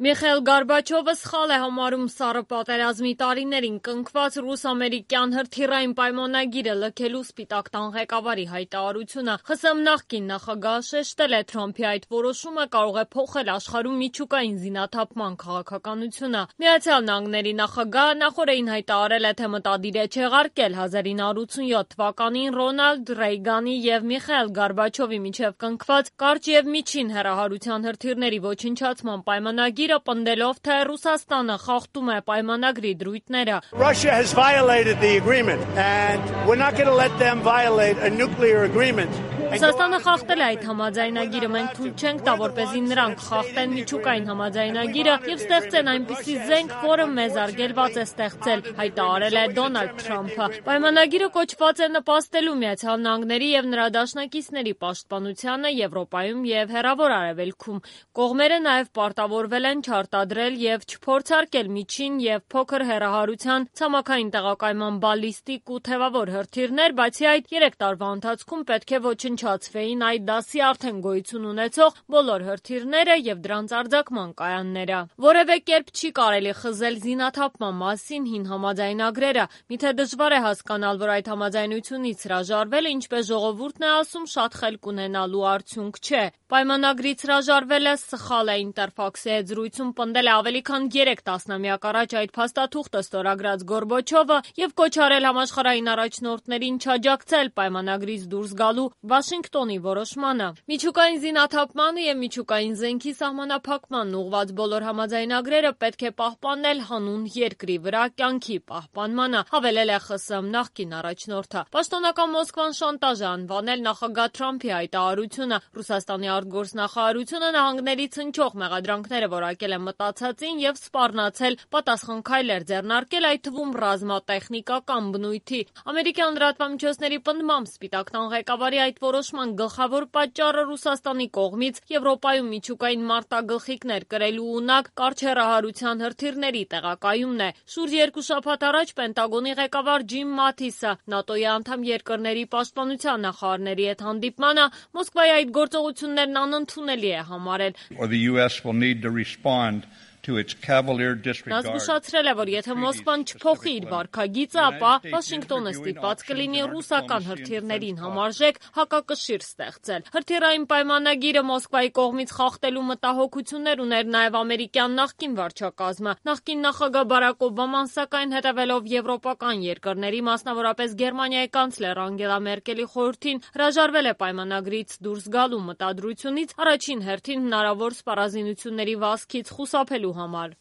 Միխայիլ Գորբաչովը սխալ է համարում սառը պատերազմի տարիներին կնքված ռուս-ամերիկյան հրթիռային պայմանագիրը լքելու Սպիտակ տան ղեկավարի հայտարարությունը։ ԽՍՀՄ նախկին նախագահը շեշտել է Թրամփի այդ որոշումը կարող է փոխել աշխարհում միջուկային զինաթափման քաղաքականությունը։ Միացյալ Նահանգների նախագահը նախորդին հայտարարել է, թե մտադիր է չեղարկել 1987 թվականին Ռոնալդ Ռեյգանի և Միխայիլ Գորբաչովի միջև կնքված կարճ և միջին հեռահարության հրթիռների ոչնչացման պայմանագիրը, պնդելով, թե Ռուսաստանը խախտում է պայմանագրի դրույթները։ Russia has violated the agreement and we're not going to let them violate a nuclear agreement. Ռուսաստանը խախտել է այդ համաձայնագիրը, մենք թույլ չենք տա, որպեսզի նրանք խախտեն միջուկային համաձայնագիրը և ստեղծեն այնպիսի զենք, որը մեզ արգելված է ստեղծել, հայտարարել է Դոնալդ Թրամփը։ Պայմանագիրը կոչված է նպաստելու Միացյալ Նահանգների և նրա դաշնակիցների պաշտպանությանը Եվրոպայում և Հեռավոր Արևելքում։ Կողմերը նաև պարտավորվել են չարտադրել և չփորձարկել միջին և փոքր հեռահարության ցամաքային տեղակայման բալիստիկ ու թևավոր հրթիռներ, բացի այդ 3 տարվա ընթացքում պետք է ոչնչացվեին այդ դասի արդեն գոյություն ունեցող բոլոր հրթիռները և դրանց արձակման կայանները։ Որևէ կերպ չի կարելի խզել զինաթափման մասին հին համաձայնագրերը։ Միթե դժվար է հասկանալ, որ այդ համաձայնությունից հրաժարվելը, ինչպես ժողովուրդն է ասում, շատ խելք ունենալու արդյունք չէ։ Պայմանագրից հրաժարվելը սխալ է, Ինտերֆաքսի հետ զրույցում պնդել է ավելի քան 3 տասնամյակ առաջ այդ փաստաթուղթը ստորագրած Գորբաչովը և կոչ արել համաշխարհային առաջնորդներին չաջակցել պայմանագրից դուրս գալու Վաշինգտոնի որոշմանը։ Միջուկային զինաթափմանը և միջուկային զենքի սահմանափակմանն ուղղված բոլոր համաձայնագրերը պետք է պահպանել հանուն երկրի վրա կյանքի պահպանմանը, հավելել է ԽՍՀՄ նախկին առաջնորդը։ Պաշտոնական Մոսկվան շանտաժ է անվանել նախագահ Թրամփի հայտարարությունը։ Ռուսաստանի արտգործնախարարությունը նահանգներից հնչող մեղադրանքները որակել է մտածածին և սպառնացել պատասխան քայլեր ձեռնարկել, այդ թվում ռազմատեխնիկական բնույթի։ Ամերիկյան լրատվամիջոցների պնդմամբ Սպիտակ տան ղեկավարի այդ որոշման գլխավոր պատճառը Ռուսաստանի կողմից Եվրոպայում միջուկային մարտագլխիկներ կրելու ունակ կարճ հեռահարության հրթիռների տեղակայումն է։ Շուրջ 2 շաբաթ առաջ Պենտագոնի ղեկավար Ջիմ Մաթիսը ՆԱՏՕ-ի անդամ երկրների պաշտպանության նախարարների հետ հանդիպմանը Մոսկվայի այդ գործողություններն անընդունելի է համարել։ Նա զգուշացրել է, որ եթե Մոսկվան չփոխի իր վարքագիծը, ապա Վաշինգտոնը ստիպված կլինի ռուսական հրթիռներին համարժեք հակակշիռ ստեղծել։ Հրթիռային պայմանագիրը Մոսկվայի կողմից խախտելու մտահոգություններ ուներ նաև ամերիկյան նախկին վարչակազմը։ Նախկին նախագահ Բարակ Օբաման, սակայն, հետևելով եվրոպական երկրների, մասնավորապես Գերմանիայի կանցլեր Անգելա Մերկելի խորհրդին, հրաժարվել է պայմանագրից դուրս գալու մտադրությունից, առաջին հերթին հնարավոր սպառազինությունների վազքից խուսափելու համար։